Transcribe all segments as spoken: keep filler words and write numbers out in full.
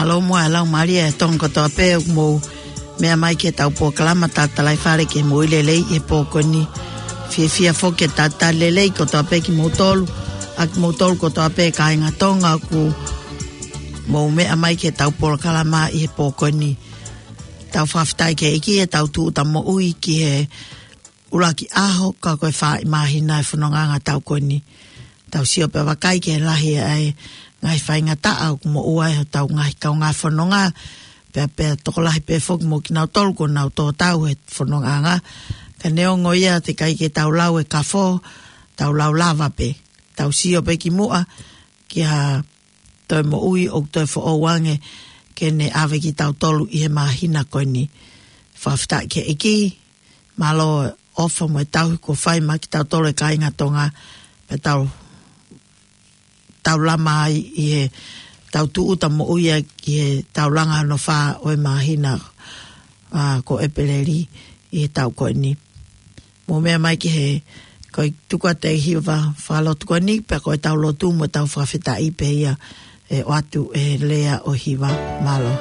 Mālō muʻa e Laumālie ʻo Tonga kotoa pē ʻoku mou meʻa mai ki heʻetau polokalama Tatalaifale ke mou ʻi lelei he pō ko eni. Fiefia foki ke talitali lelei kotoa pē kimoutolu, ʻa kimoutolu kotoa pē kāinga Tonga ʻoku mou meʻa mai ki heʻetau polokalama ʻi he pō ko eni. Tau fakafetaʻi ki he ʻEiki heʻetau tūʻuta moʻui ki he ʻuluaki ʻaho, ka ko e fā ʻi māhina e fonongaʻanga ʻo e taʻu ko eni. Tau sio pea vakai ki he lahi ʻa e ngaahi faingataʻa ʻoku moʻua ai hotau ngaahi kaungā fononga, pea, pea tokolahi pē foki mo kinautolu kuo nau tō tau he fonongaʻanga. Ka neongo ia, teʻeki ai ke tau lau e kafo, tau lau lava pē. Tau sio pē ki muʻa, ki ha toe moʻui ʻoku toe foʻou ange ke ne ʻave kitautolu ʻi he māhina ko eni. Fakafetaʻi ki he ʻEiki, mālō e ʻofa mo e tauhi kuo fai maʻa kitautolu e kāinga Tonga, pea tau, tau lama ai ʻi heʻetau tūʻuta moʻui ʻa e taulanga hono fā ʻo e māhina, ʻa, ko ʻEpeleli ʻi he taʻu ko eni. Mou meʻa mai ki he, ko e tuku atu e hiva fakalotu ko eni, pea ko ʻetau lotu mo ʻetau fakafetaʻi pē ia ʻe ʻoatu e lea ʻo e hiva. Mālō.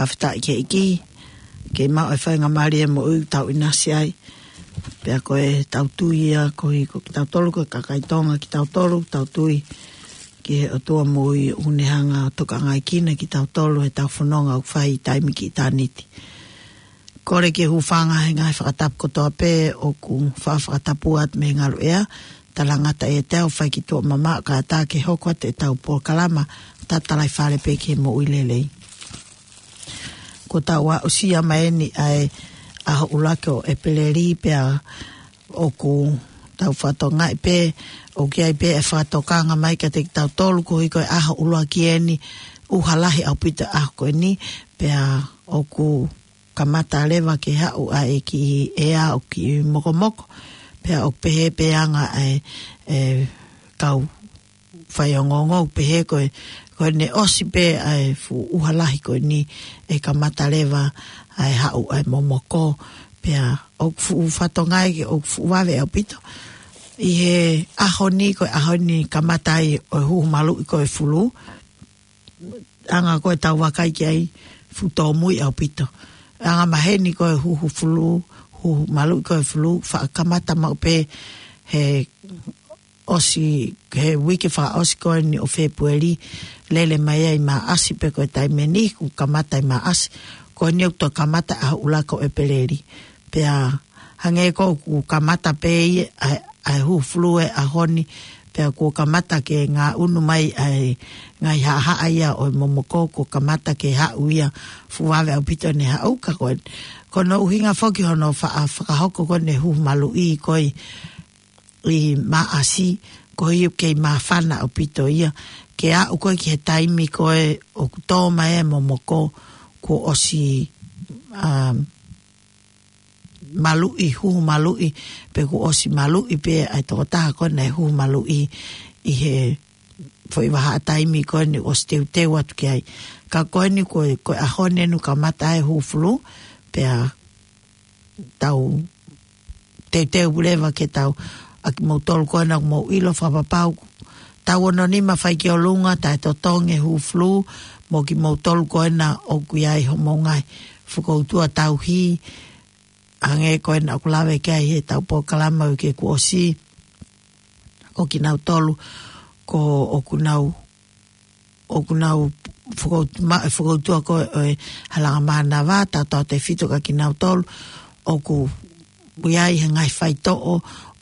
Fakafetaʻi ki he ʻEiki, ke maʻu e faingamālie e moʻui ʻoku tau ʻinasi ai. Pea ko e tau tui ia, ko e, ko kitautolu, ko e kakai Tonga kitautolu, tau tui ki he ʻOtua moʻui ʻoku ne hanga ʻo tokangaekina kitautolu he tau fononga ʻoku fai ʻi taimi ki ʻitāniti. Kole ke hūfanga he ngaahi fakatapu kotoa pē ʻoku fa-, fakatapu atu mei he ngaluʻea, talangata e tau fai ki tuʻa mamaʻo kae ʻatā ke hoko atu e tau polokalama tatalaifale pē ki he moʻui lelei. Ko tau aʻusia mai eni ʻa e ʻaho ʻuluaki ʻo ʻEpeleli pea ʻoku tau fakatokangaʻi pē, ʻoku ʻi ai pē e fakatokanga mai kiate kitautolu koeʻuhi ko e ʻaho ʻuluaki eni, ʻuha lahi ʻaupito ʻaho ko eni, pea ʻoku kamata leva ke haʻu ʻa e kiʻi ʻea ʻoku kiʻi mokomoko, pea ʻoku pehē pē anga ʻa e, e kau faiongoongo ʻoku pehē ko e, ko ʻene ʻosi pē ʻa e fuʻu ʻuha lahi ko eni ʻe kamata leva ʻa e haʻu ʻa e momoko, pea ʻoku fuʻu fakatokangaʻi ke ʻoku fuʻu vave ʻaupito. ʻI he ʻaho ni, ko e ʻaho ni kamata ai ʻo e huhu maluʻi ko e fulū, anga ko e tau vakai ki ai fuʻu tōmui ʻaupito. Anga maheni ko e huhu fulū, huhu maluʻi ko e fulū, faʻa kamata maʻu pē he ʻosi, he uike fakaʻosi ko eni ʻo Fēpueli, lele mai ai Maʻasi pē ko e taimi ni, kuo kamata ʻi Maʻasi, ko eni ʻoku toe kamata ʻaho ʻuluaki ʻo ʻEpeleli. Pea hangē ko ē kuo kamata pē ia ʻa e, ʻa e huhu fulū he ʻaho ni, pea kuo kamata ke ngaʻunu mai ʻa e ngaahi haʻahaʻa ia ʻo e momoko, kuo kamata ke haʻu ia fuʻu vave ʻaupito ʻene haʻu ka ko e, ko hono ʻuhinga foki hono fa-, fakahoko ko eni huhu maluʻi ko ē ʻi Maʻasi, koeʻuhi ʻoku kei māfana ʻaupito ia, ke aʻu ko ē ki he taimi ko ē ʻoku tō mai e momoko, kuo ʻosi, um, maluʻi, huhu maluʻi, pe kuo ʻosi maluʻi pē ʻa e tokotaha ko ē naʻe huhu maluʻi ʻi he foʻi vahaʻa taimi ko eni ʻosi teuteu atu ki ai. Ka ko eni ko e, ko e ʻaho ni ʻoku kamata ai e huhu fulū, pea tau teuteu leva ke tau, ʻa kimoutolu ko ena ʻoku mou ʻilo fakapapau, taʻu ono nima fai ki ʻolunga, taʻetotongi e huhu fulū, mo kimoutolu ko ena ʻoku ʻi ai homou ngaahi fokoutua tauhi, hangē ko ena ʻoku lave ki ai he tau polokalama uike kuo ʻosi, ko kinautolu, ko ʻoku nau, ʻoku nau fokout-, ma-, fokoutua ko ē ʻo e Halanga Mānava, tautautefito kia kinautolu ʻoku ʻi ai he ngaahi faitoʻo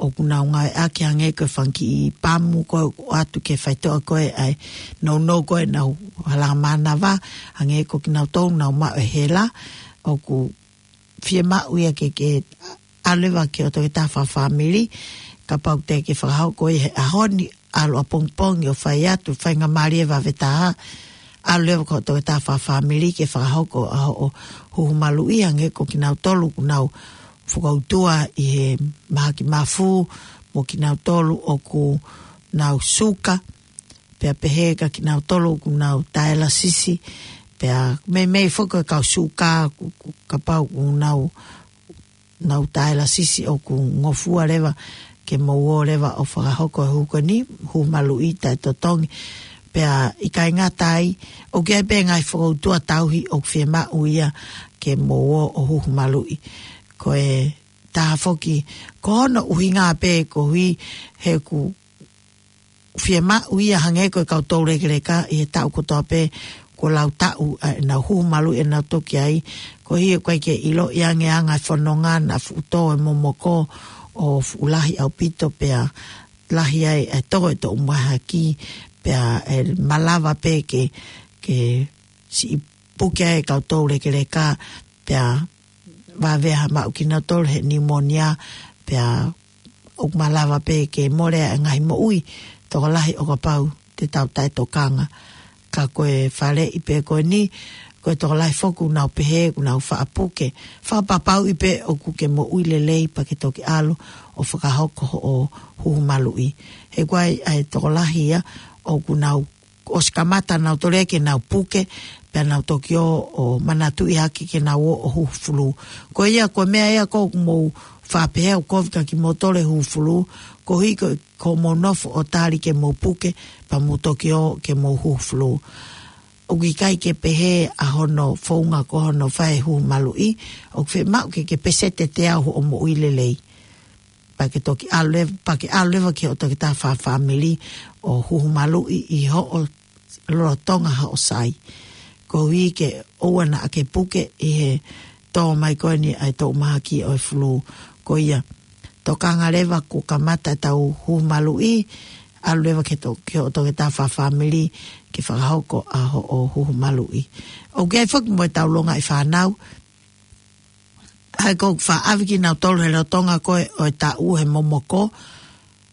ʻoku nau ngāueʻaki hangē ko e fanga kiʻi pamu ko ē ʻoatu ki he faitoʻo ko ē ʻa e nounou ko ē ʻenau Halanga Mānava, hangē ko kinautolu nau maʻu e hela, ʻoku fiemaʻu ia ke, ke ʻalu leva ki hoʻo toketā fakafāmili, kapau te ke fakahoko ia he ʻaho ni, ʻalu ʻapongipongi ʻo fai atu, faingamālie vave taha, ʻalu leva ki hoʻo toketā fakafāmili ke fakahoko ʻa hoʻo huhu maluʻi hangē ko kinautolu ʻoku nau fokoutua ʻi he mahaki mafu, mo kinautolu ʻoku nau suka, pea pehē kia kinautolu ʻoku nau taelasisi, pea meimei foki e kau suka, ku-, ku-, kapau ʻoku nau, nau taelasisi ʻoku ngofua leva ke mou ō leva ʻo fakahoko e huhu ko eni, huhu maluʻi taʻetotongi. Pea ʻikai ngata ai, ʻoku ʻi ai pē ngaahi fokoutua tauhi ʻoku fiemaʻu ia ke mou ō ʻo huhu maluʻi. Ko e taha foki, ko hono ʻuhinga pē koeʻuhi he ʻoku fiemaʻu ia hangē ko e kau toulekeleka ʻi he taʻu kotoa pē kuo lau taʻu ʻa ʻenau huhu maluʻi ʻenau toki ai, koeʻuhi ʻoku ʻikai ke ʻiloʻi ange ʻa e anga e fononga naʻa fuʻu tō e momoko ʻo fuʻu lahi ʻaupito pea lahi ai e tō e toʻu mahaki pea ʻe malava pē ke, ke siʻi puke ai e kau toulekeleka pea vave ha maʻu kinautolu he pneumonia, pea ʻoku malava pē ke mole ʻa e ngaahi moʻui tokolahi ʻo kapau te tau taʻetokanga. Ka ko e faleʻi pē ko eni, ko e tokolahi foki ʻoku nau pehē, ʻoku nau faʻa puke. Fakapapauʻi pē ʻoku ke moʻui lelei pea ke toki ʻalu ʻo fakahoko hoʻo huhu maluʻi. He ʻoku ʻi ai ʻa e tokolahi ia ʻoku nau ʻosi kamata nautolu ia ke nau puke, pea nau toki ō ʻo manatuʻi hake ke nau ō ʻo huhu fulū. Ko ia, ko e meʻa ia ʻoku mou faʻa pehē ʻoku kovi kia kimoutolu e huhu fulū, koeʻuhi ko, ko hoʻomou nofo ʻo tali ke mou puke, pea mou toki ō ke mou huhu fulū. ʻoku ʻikai ke pehē ʻa hono founga ko hono fai huhu maluʻi, ʻoku fiemaʻu ke ke peseti teau hoʻo moʻui lelei. Pea ke toki ʻalu leva, pea ke ʻalu leva ki hoʻo toketā fakafāmili ʻo huhu maluʻi ʻi hoʻo lolotonga hoʻo sai. Koeʻuhi ke ʻoua naʻa ke puke ʻi he tō mai ko eni ʻa e toʻu mahaki ʻo e fulū. Ko ia, tokanga leva kuo kamata ʻetau huhu maluʻi, ʻalu leva ki to-, ki hoʻo toketā fakafāmili ke fakahoko ʻa hoʻo huhu maluʻi. ʻOku ʻi ai foki mo ʻetau longaʻi fānau, ʻa ia ʻoku faʻa ʻave kinautolu he lolotonga ko ē ʻo e taʻu he momoko.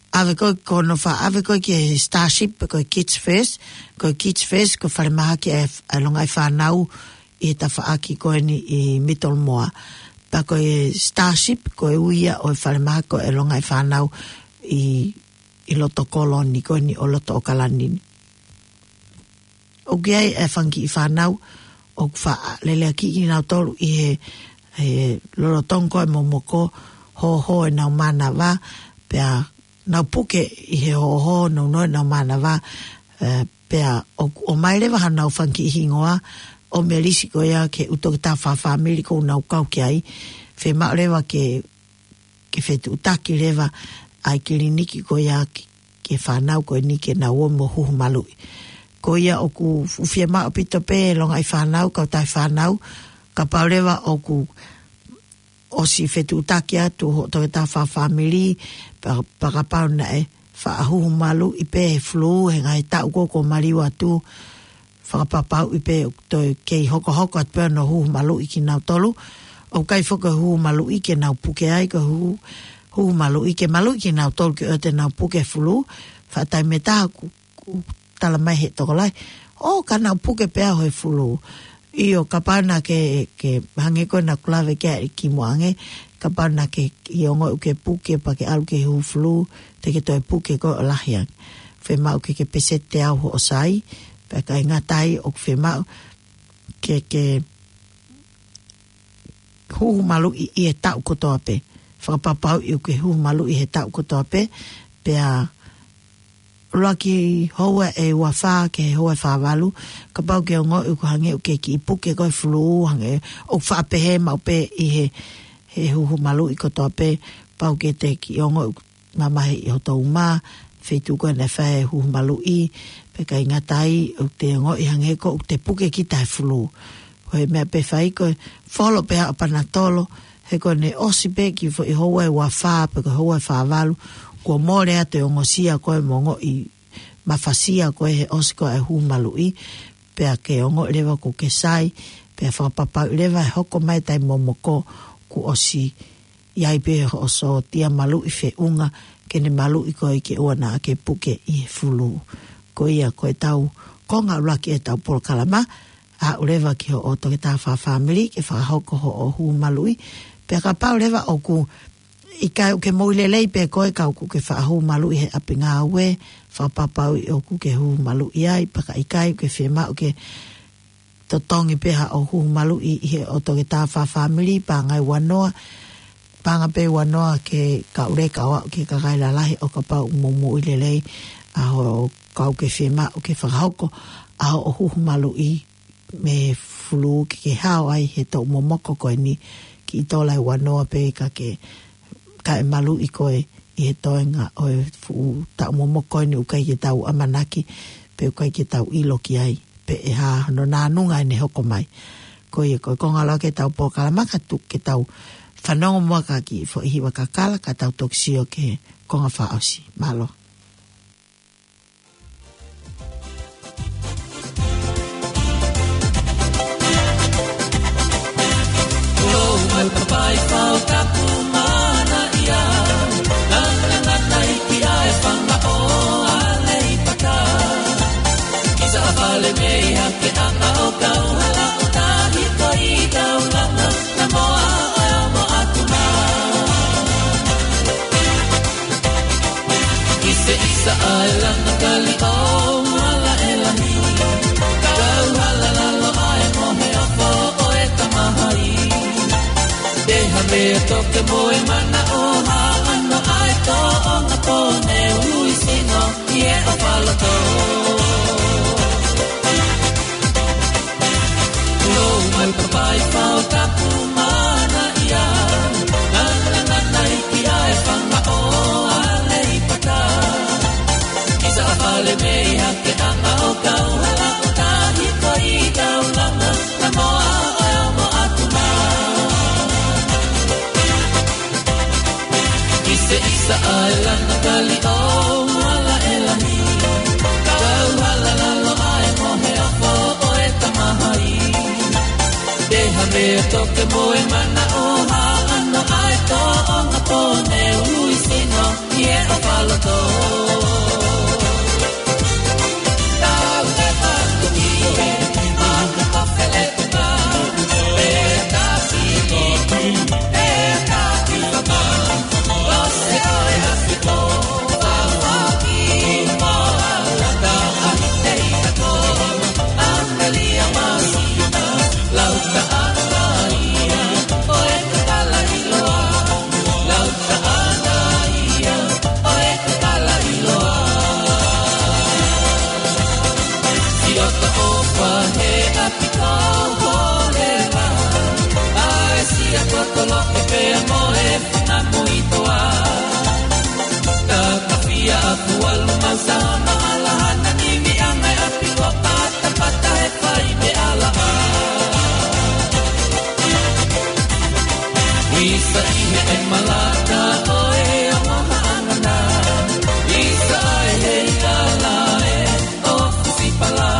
ʻAve ko ē, ko hono faʻa ʻave ko ē ki he Starship, pe ko e Kids First, ko e Kids First, ko e falemahaki ʻa e, ʻa e longaʻi fānau ʻi he tafaʻaki ko eni ʻi Middlemore. Pea ko e Starship, ko e ui ia ʻo e falemahaki ko ē ʻa e longaʻi fānau ʻi, ʻi loto kolo ni ko eni ʻo loto ʻAokalani ni. ʻOku ʻi ai e fanga kiʻi fānau ʻoku faʻa leleakiʻi kinautolu ʻi he, he lolotonga ko ē momoko, hōhō ʻenau mānava, pea nau puke ʻi he hōhō, nounou ʻenau mānava, ē, pea ʻoku ʻomai leva haʻanau fanga kiʻi hingoa ʻo melisi ko ia ki he ʻū toketā fakafāmili ʻoku nau kau ki ai, fiemaʻu leva ke ke fetuʻutaki leva ʻa e kiliniki ko ia ki, ki he fānau ko eni ke nau ō mo huhu maluʻi. Ko ia ʻoku fuʻu fiemaʻu ʻaupito pē longaʻi fānau, kautaha fānau, kapau leva ʻoku ʻosi fetuʻutaki atu hoʻo toketā fakafāmili, pea, pea kapau naʻe faʻa huhu maluʻi pē he fulū, he ngaahi taʻu ko ē kuo maliu atu, fakapapauʻi pē ʻoku toe kei hokohoko atu pē hono huhu maluʻi kinautolu. ʻOku ʻikai foki huhu maluʻi ke nau puke ai, ko e huhu, huhu maluʻi ke maluʻi kinautolu ke ʻoua te nau puke he fulū. Faʻa taimi ʻe taha ʻoku, ʻoku tala mai he tokolahi, ʻō, ka nau puke pē au he fulū. ʻIo, kapau naʻa ke, ke hangē ko ena ʻoku lave ki ai kimuʻa ange, kapau naʻa ke ʻi he ongoʻi ʻoku ke puke pea ke ʻalu ki he huhu fulū, te ke toe puke koe ʻo lahi ange. Fiemaʻu ke ke peseti teau hoʻo sai, pea ʻikai ngata ai ʻoku fiemaʻu ke ke huhu maluʻi ʻi he taʻu kotoa pē. Fakapapauʻi ʻoku ke huhu maluʻi he taʻu kotoa pē, pea ʻuluaki houa ʻe uafā ki he houa ʻe fāvalu, kapau ke ongoʻi ʻoku hangē ʻoku ke kiʻi puke koe he fulū, hangē ʻoku faʻa pehē maʻu pē ʻi he, he huhu maluʻi kotoa pē, pau ke te kiʻi ongoʻi ʻoku mamahi ʻi hoto uma, feituʻu ko ē naʻe fai ai e huhu maluʻi, pea ʻikai ngata ai ʻoku te ongoʻi hangē ko ʻoku te puke kita he fulū. Ko e meʻa pē ʻe fai ko e folo pē haʻo panatolo, he ko ʻene ʻosi pē kiʻi foʻi houa ʻe uafā, pe ko e houa ʻe fāvalu, kuo mole atu e ongosia ko ē mo e ongoʻi mafasia ko ē he ʻosi ko ē e huhu maluʻi, pea ke ongoʻi leva ʻoku ke sai, pea fakapapauʻi leva ʻe hoko mai e taimi momoko kuo ʻosi ʻi ai pē hoʻo sōtia maluʻi feʻunga ke ne maluʻi koe ke ʻoua naʻa ke puke ʻi he fulū. Ko ia ko ʻetau konga ʻuluaki ʻetau polokalama, aʻu leva ki hoʻo toketā fakafāmili ke fakahoko hoʻo huhu maluʻi, pea kapau leva ʻoku ʻikai ʻoku ke moʻui lelei pē koe ka ʻoku ke faʻa huhu maluʻi he ʻapi ngāue, fakapapauʻi ʻoku ke huhu maluʻi ai, pea ka ʻikai ʻoku ke fiemaʻu ke totongi pē haʻo huhu maluʻi ʻi he ʻo toketā fakafāmili, paʻanga ʻe uanoa, paʻanga pē ʻe uanoa ke kauleka ʻo aʻu ki he kakai lalahi ʻo kapau ʻoku mou moʻui lelei, ʻa hoʻo kau ke fiemaʻu ke fakahoko ʻa hoʻo huhu maluʻi mei he fulū ke ke hao ai he toʻu momoko ko eni kiʻi tola ʻe uanoa pē ka ke, kae maluʻi koe ʻi he toenga ʻo e fuʻu taʻu momoko ko eni ʻoku ʻikai ke tau ʻamanaki, pe ʻoku ʻikai ke tau ʻilo ki ai pe ʻe hā hono nānunga ʻene hoko mai. Ko ia ko e konga ʻuluaki ʻetau polokalama, ka tuku ke tau fanongo muʻa ki he kiʻi foʻi hiva kakala ka tau toki sio ki he konga fakaʻosi. Mālō. Kuo u mai papai fau tapu mana ia. Nana nana iki ai fanga o ale i pata. Kisa a fale mei hake ana o kau hala o tahi ko i kau langa. Na moa o e omo atu mā. ʻIsa ʻisa ʻa e langa kali ʻo hala ʻe lahi. Kau hala lalo ʻa e mohe ʻa fo ʻo e tamahai. Te ha mea toke mo e mana ʻo ha ano ʻa e tōʻonga pō ne ui sino. Ie o palato. E toke mo e mana o ha ano ai to o nga pone ului sino i e o paloto. Tau te paku ki e, ma ka fele te pa, e ta ki, e ta ki pa pa, lo se o e a ki po, pa pa ki, pa a la ta a te i ta ko, a te li a ma si. Isa ʻi he ʻe malata ʻo e ongo haʻangana. Isa ʻi he ʻiala ʻe ʻo Fusipala.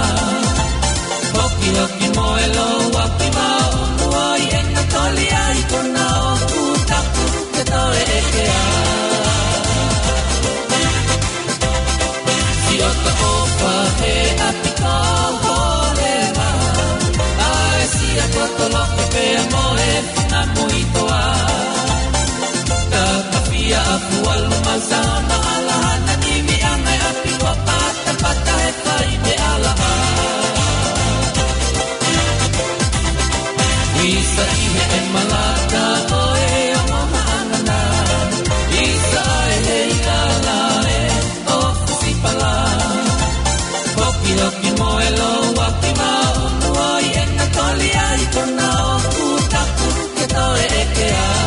Hokihoki mo e lou ʻaki maunu ʻo e ʻena toli ai kona ʻoku taku ke toe ʻeke ai. Siʻoto ʻo pahe ʻapi ko Holeva, ʻa e sia ko Toloke pea mo e fina muitoa. Ka ka fia a Fualu mau sa ma ala hana nimi ʻa ngai ʻapi ko Patapata he fai me ala ʻa. Isa ʻi he ʻe malata ʻo e ongo haʻangana. Isa ʻi he ʻiala ʻe ʻo Fusipala. Hokihoki mo e lou ʻaki maunu ʻo e ʻena toli ai kona ʻoku taku ke toe ʻeke ai.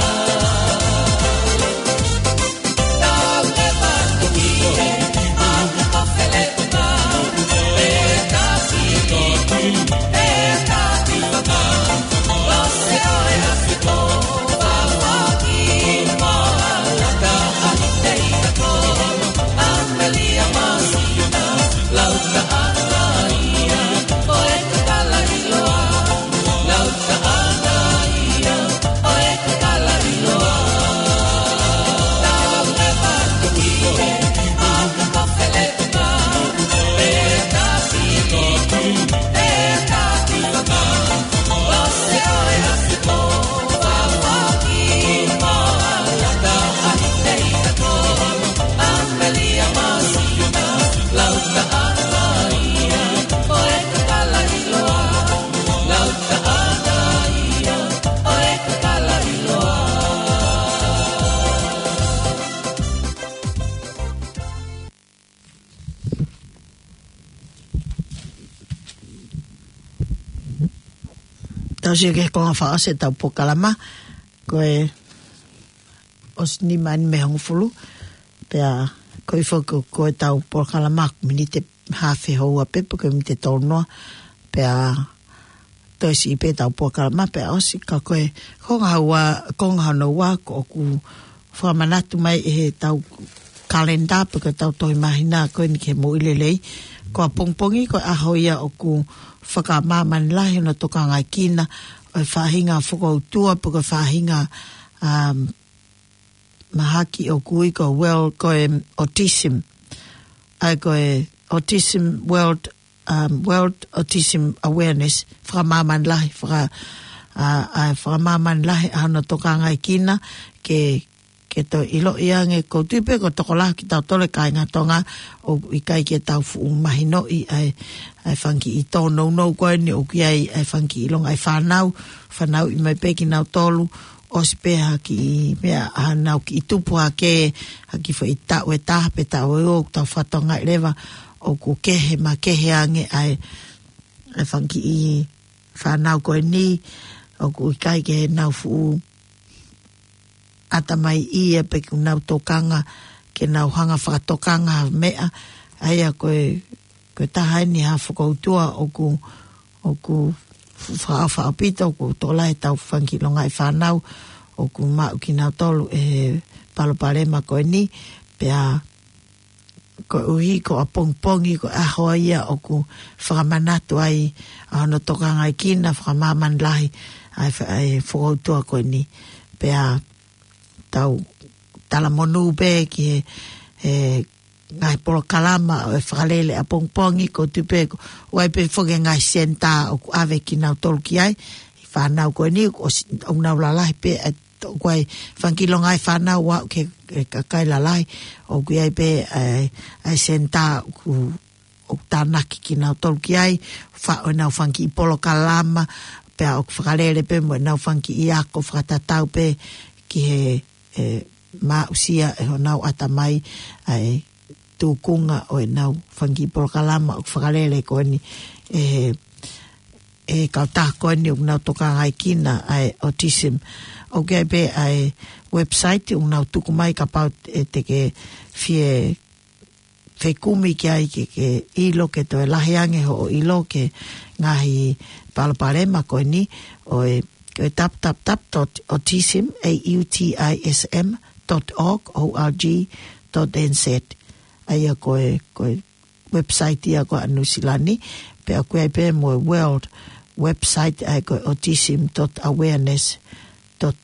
Tau sio ki he konga fakaʻosi ʻetau polokalama, ko e ʻosi nima eni mei he hongofulu, pea ko e foki ko ʻetau polokalama, miniti haafe houa pē, pe ko e miniti tolu noa, pea toe siʻi pē ʻetau polokalama, pea ʻosi ka ko e konga hono ua, konga hono ua, ko ʻoku fakamanatu mai ʻe heʻetau kalenda, pe ko ʻetau tohi māhina ko eni ki he moʻui lelei. Ko ʻapongipongi, ko e ʻaho ia ʻoku fakamāmani lahi hono tokangaʻi kina ʻo e faʻahinga fokoutua, pe ko e faʻahinga, um, mahaki ʻoku ui ko e World, ko e autism. ʻA ia ko e Autism World, um, World Autism Awareness, fakamāmani lahi, faka-, ʻa, ʻa, fakamāmani lahi ʻa hono tokangaʻi kina ke, ke toe ʻiloʻi ange, ʻoku ou tui pē ko e tokolahi kitautolu e kāinga Tonga ʻoku ʻikai ke tau fuʻu mahinoʻi ʻa e, ʻa e fanga kiʻi tōnounou ko eni ʻoku ʻi ai ʻa e fanga kiʻi longaʻi fānau, fanauʻi mai pē kinautolu, ʻosi pē ha kiʻi meʻa, ʻa ʻenau kiʻi tupu hake, ha kiʻi foʻi taʻu ʻe taha pe taʻu ʻe ua, ʻoku tau fakatokangaʻi leva ʻoku kehe, makehe ange ʻa e, ʻa e fanga kiʻi fānau ko eni, ʻoku ʻikai ke nau fuʻu ʻatamaiʻi ia pe ke nau tokanga, ke nau hanga fakatokanga ha meʻa, ʻa ia ko e, ko e taha eni ha fokoutua ʻoku, ʻoku fa-, faʻa pito, ʻoku tokolahi ʻetau fanga kiʻi longaʻi fānau ʻoku maʻu kinautolu ʻe he palopalema ko eni, pea koeʻuhi ko ʻapongipongi, ko e ʻaho ia ʻoku fakamanatu ai ʻa hono tokangaʻi kina, fakamāmani lahi ʻa e fa-, ʻa e fokoutua ko eni. Pea tau talamonū pē ki he, he ngaahi polokalama ʻo e fakalele ʻapongipongi, ko tu pē ko, ʻoku ʻi ai pē foki e ngaahi senitā ʻoku ʻave kinautolu ki ai, ʻi fānau ko eni, ʻoku ʻosi, ʻoku nau lalahi pē, ʻa, ʻoku ʻi ai fanga kiʻi longaʻi fānau ʻoku aʻu ki he, he kakai lalahi, ʻoku ʻi ai pē, ʻa e, ʻa e senitā ʻoku ʻoku tānaki kinautolu ki ai, faʻo ʻenau fanga kiʻi polokalama, pea ʻoku fakalele pē mo ʻenau fanga kiʻi ako fakatatau pē ki he, e, maʻusia ʻe honau ʻatamai ʻa e tūkunga ʻo ʻenau fanga kiʻi polokalama ʻoku fakalele ko eni, e, e kautaha ko eni ʻoku nau tokangaekina ʻa e autism. ʻOku ʻi ai pē ʻa e website ʻoku nau tuku mai kapau ʻe te ke fie fekumi ki ai ke, ke ʻilo ke toe lahi ange hoʻo ʻilo ki he ngaahi palopalema ko eni ʻo e, ko e www dot autism, A U T I S M, dot org, O R G, dot N Z. ʻA ia ko e, ko e website ia ko ē ʻa Nuʻu Sila ni, pea ʻoku ʻi ai pē mo e world website ʻa ia ko e autism dot awareness dot,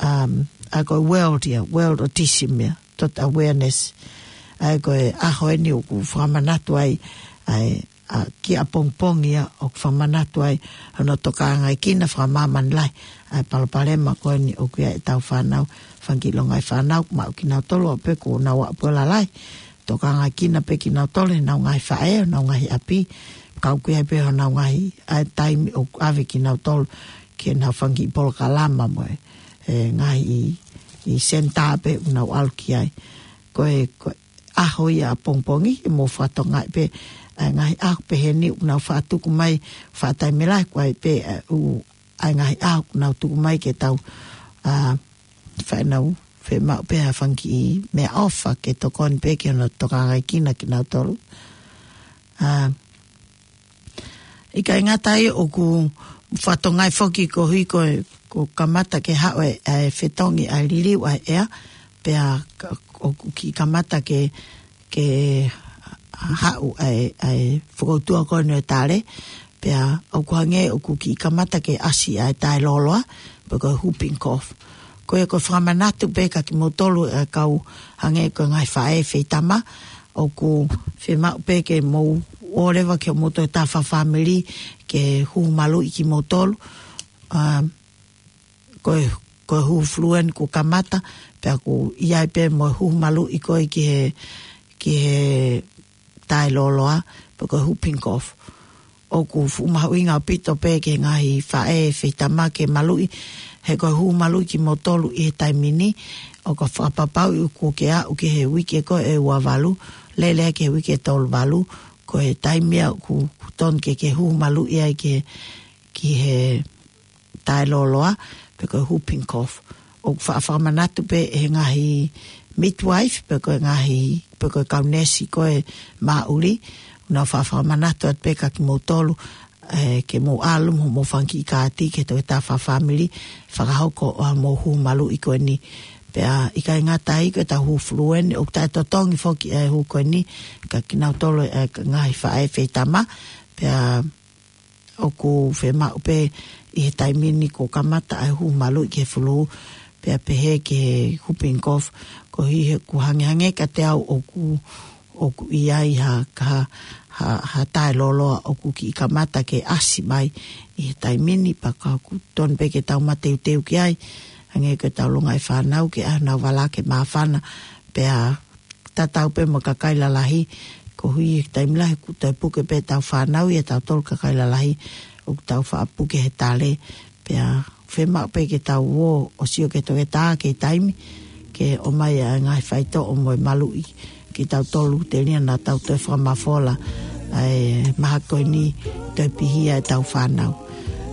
um, ʻa ia ko e world ia, world autism ia, dot awareness. ʻA ia ko e ʻaho eni ʻoku fakamanatu ai, ʻa e, ʻa, kiʻi ʻapongipongi ia ʻoku fakamanatu ai hono tokangaekina fakamāmani lahi ʻa e palopalema ko eni ʻoku ʻi ai ʻetau fānau, fanga kiʻi longaʻi fānau, maʻu kinautolu ʻo pē kuo nau aʻu pē ʻo lalahi. Tokangaekina pē kinautolu ʻe heʻenau ngaahi faʻē, ʻenau ngaahi ʻapi, ka ʻoku ʻi ai pē honau ngaahi, ʻa e taimi ʻoku ʻave kinautolu ki heʻenau fanga kiʻi polokalama mo e, e ngaahi ʻi, ʻi senitā pē ʻoku nau ʻalu ki ai. Ko e, ko e ʻaho ia ʻapongipongi, ʻe mou fakatokangaʻi pē, ʻa e ngaahi ʻaho pehē ni ʻoku nau faʻa tuku mai, faʻa taimi lahi, ko e pē, ʻa, ʻū, ʻa e ngaahi ʻaho ʻoku nau tuku mai ke tau, ʻa, faʻa nau fiemaʻu pē ha fanga kiʻi meʻaʻofa ke tokoni pē ki hono tokangaekina kinautolu. ʻA, ʻikai ngata ai ʻoku fakatokangaʻi foki koeʻuhi ko, ko e kamata ke haʻu e, e fetongi ʻa e liliu ʻa e ʻea, pea ka, ʻoku kiʻi kamata ke, ke haʻu ʻa e, ʻa e fokoutua ko eni ʻo e tale, pea ʻoku hangē ʻoku kiʻi kamata ke ʻasi ʻa e taʻelōloa, pe ko e whooping cough. Ko ia ko e fakamanatu pē kia kimoutolu ʻa e kau hangē ko e ngaahi faʻē feitama, ʻoku fiemaʻu pē ke mou ō leva ki hoʻomou tokotaha fakafāmili ke huhu maluʻi kimoutolu, ʻa, ko e, ko e huhu fulū eni kuo kamata, pea ʻoku ʻi ai pē mo e huhu maluʻi ko ē ki he, ki he taʻelōloa, pe ko e whooping cough. ʻOku fuʻu mahuʻinga ʻaupito pē ki he ngaahi faʻē feitama ke maluʻi, he ko e huhu maluʻi kimoutolu ʻi he taimi ni, ʻoku fakapapauʻi ʻoku ke aʻu ki he uike ko ē ʻe ua valu, lele ki he uike ʻe tolu valu, ko e taimi ia ʻoku, ʻoku totonu ke ke huhu maluʻi ai ki he, ki he taʻelōloa, pe ko e whooping cough. ʻOku faʻa fakamanatu pē ʻe he ngaahi midwife, pe ko e ngaahi, pe ko e kau neesi ko ē māʻuli, ʻoku nau faʻa fakamanatu atu pē kia kimoutolu, ē, ke mou ʻalu mo hoʻomou fanga kiʻi kaati ki he tokotaha fakafāmili, fakahoko ʻa hoʻomou huhu maluʻi ko eni. Pea ʻikai ngata ai ko ʻetau huhu fulū eni, ʻoku taʻetotongi foki ʻa e huhu ko eni, kia kinautolu ʻa e ngaahi faʻē feitama, pea ʻoku fiemaʻu pē ʻi he taimi ni kuo kamata ʻa e huhu maluʻi ki he fulū, pea pehē ki he whooping cough, koeʻuhi he ʻoku hangehangē kiate au ʻoku, ʻoku ʻi ai ha, ha, ha, ha taʻelōloa ʻoku kiʻi kamata ke ʻasi mai ʻi he taimi ni, pea ka ʻoku totonu pē ke tau mateuteu ki ai, hangē ko ʻetau longaʻi fānau ke ʻai honau vala ke māfana, pea tatau pē mo e kakai lalahi, koeʻuhi he taimi lahi ʻoku toe puke pē ʻetau fānau ʻia tautolu kakai lalahi, ʻoku tau faʻa puke he tale, pea fiemaʻu pē ke tau ō ʻo sio ki he toketā ki he taimi, ke ʻomai ʻa e ngaahi faitoʻo mo e maluʻi kia tautolu telia naʻa tau toe fakamafola ʻa e mahaki ko eni, toe pihia ʻetau fānau.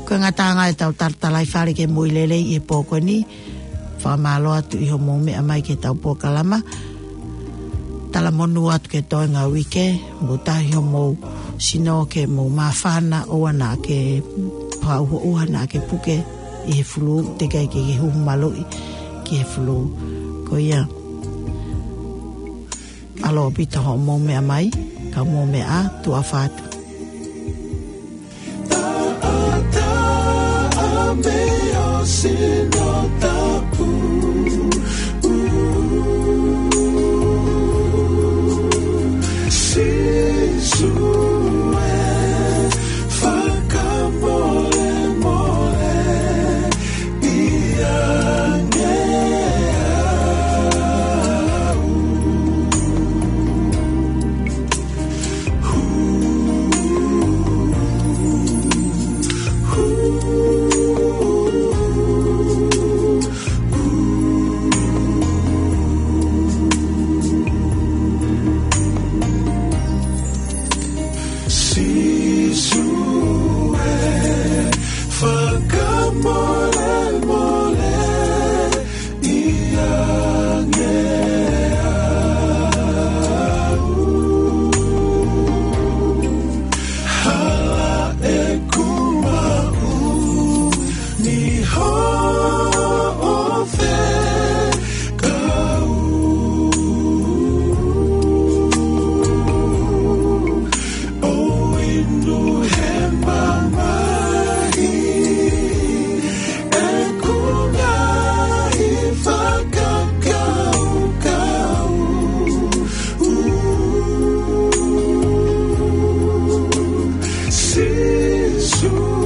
Ko e ngataʻanga ʻetau talatalaifale ki he moʻui lelei ʻi he pō ko eni, fakamālō atu ʻi hoʻomou meʻa mai ki heʻetau polokalama. Talamonū atu ki he toenga uike, mou tauhi homou sino ke mou māfana, ʻoua naʻa ke fakauhoʻuha naʻa ke puke ʻi he fulū, teʻeki ai ke ke huhu maluʻi ki he fulū. Ko ia, mālō ʻaupito hoʻomou meʻa mai, ka mou meʻa ā, tuʻa ʻofa atu. Two